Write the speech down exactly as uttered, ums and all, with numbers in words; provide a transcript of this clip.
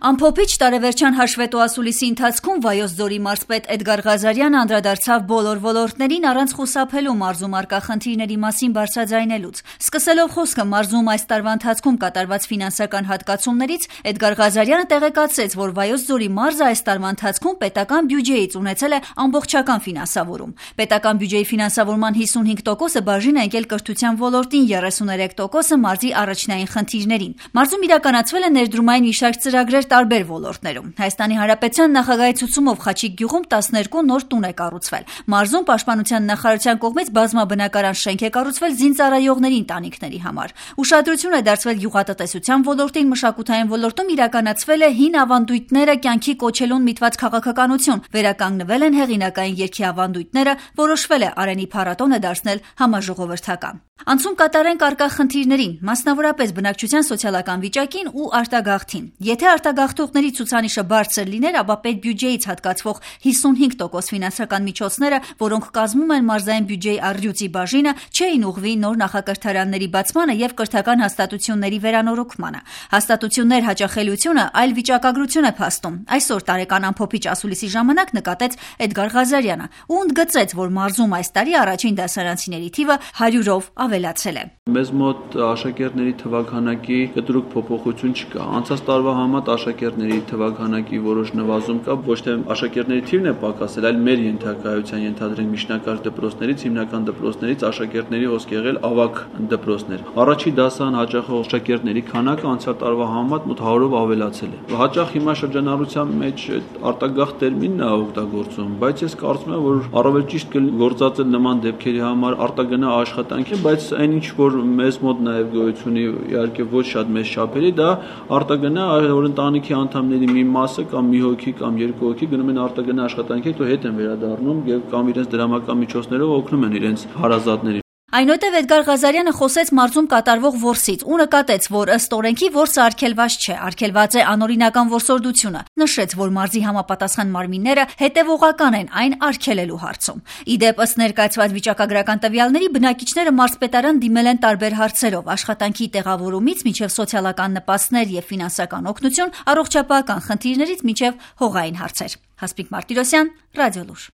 Ամփոփիչ տարեվերջյան հաշվետու ասուլիսի ընթացքում Վայոց ձորի մարզպետ Էդգար Ղազարյանը անդրադարձավ բոլոր ոլորտներին առանց խուսափելու մարզում առկա խնդիրների մասին բարձրաձայնելուց։ Սկսելով խոսքը մարզում այս տարվա ընթացքում կատարված ֆինանսական հատկացումներից, Էդգար Ղազարյանը տեղեկացրեց, որ Վայոց ձորի մարզը այս տարվա ընթացքում պետական բյուջեից ունեցել է ամբողջական ֆինանսավորում։ Պետական բյուջեի ֆինանսավորման հիսունհինգ տոկոսը բաժին է ընկել կրթության ոլորտին, երեսուներեք տոկոսը մարզի առաջնային խնդիրներին։ Մարզում իրականացվել է ներդրումային մի շարք ծրագրեր տարբեր ոլորտներում։ Հայաստանի Հանրապետության նախագահի ցուցումով Խաչիկ գյուղում տասներկու նոր տուն է կառուցվել։ Մարզում Պաշտպանության նախարարության կողմից բազմաբնակարան շենք է կառուցվել զինծառայողների ընտանիքների համար։ Ուշադրություն է դարձվել գյուղատնտեսության ոլորտին, մշակութային ոլորտում իրականացվել է հին ավանդույթները կյանքի կոչելուն միտված քաղաքականություն, վերականգնվել են հեղինակային երգի ավանդույթները, որոշվել է Արենի փառատոնը դարձնել համաժողովրդական։ Անցում կատարենք առկա խնդիրներին, մասնավորապես բնակչության սոցիալական վիճակին ու արտագաղթին։ Եթե արտագաղթողների ցուցանիշը բարձր լիներ, ապա պետբյուջեից հատկացվող հիսունհինգ տոկոս ֆինանսական միջոցները, որոնք կազմում են մարզային բյուջեի առյուծի բաժինը, չէին ուղղվի նոր նախակրթարանների բացմանը եւ կրթական հաստատությունների վերանորոգմանը։ Հաստատություններ հաճախելիությունը այլ վիճակագրություն է փաստում։ Այսօր տարեկան ամփոփիչ ասուլիսի ժամանակ նկատեց Էդգար Ղազարյանը ու ընդգծեց, որ մարզում այս տարի առաջին դասարանցիների թիվը հարյուրով ավելացել է։ Մեզ մոտ աշակերտների թվաքանակի կտրուկ փոփոխություն չկա։ Անցած տարվա համեմատ աշակերտների թվաքանակի որոշ նվազում կա, ոչ թե աշակերտների թիվն է պակասել, այլ մեր ենթակայության ենթադրենք միջնակարգ դպրոցներից, հիմնական դպրոցներից աշակերտների հոսք եղել ավագ դպրոցներ։ Առաջի դասարան հաճախող աշակերտների քանակը անցյալ տարվա համեմատ մոտ հարյուրով ավելացել է։ Հաճախ հիմա շրջանառության մեջ արտագաղթ տերմինն է օգտագործում, բայց ես կարծում եմ, որ առավել ճիշտ կգործածել նման դեպքերի համար արտագնա աշխատանքի, բայց այն ինչ որ մեզ մոտ նաև գոյություն ունի, իհարկե ոչ շատ մեծ չափերի, դա արտագնա, որ ընտանիքի անդամների մի մասը կամ մի հոգի կամ երկու հոգի գնում են արտագնա աշխատանքի, հետո հետ են վերադառնում եւ կամ իրենց դրամական միջոցներով օգնում են իրենց հարազատներին։ Այնուհետև Էդգար Ղազարյանը խոսեց մարզում կատարվող որսից ու նկատեց, որ ըստ օրենքի որսը արգելված չէ, արգելված է անօրինական որսորդությունը։ Նշեց, որ մարզի համապատասխան մարմինները հետևողական են այն արգելելու հարցում։ Ի դեպ, ըստ ներկայացված վիճակագրական տվյալների, բնակիչները մարզպետարան դիմել են տարբեր հարցերով՝ աշխատանքի տեղավորումից մինչև սոցիալական նպաստներ եւ ֆինանսական օգնություն, առողջապահական խնդիրներից մինչև հողային հարցեր։ Հասմիկ Մարտիրոսյան, Ռադիոլուր։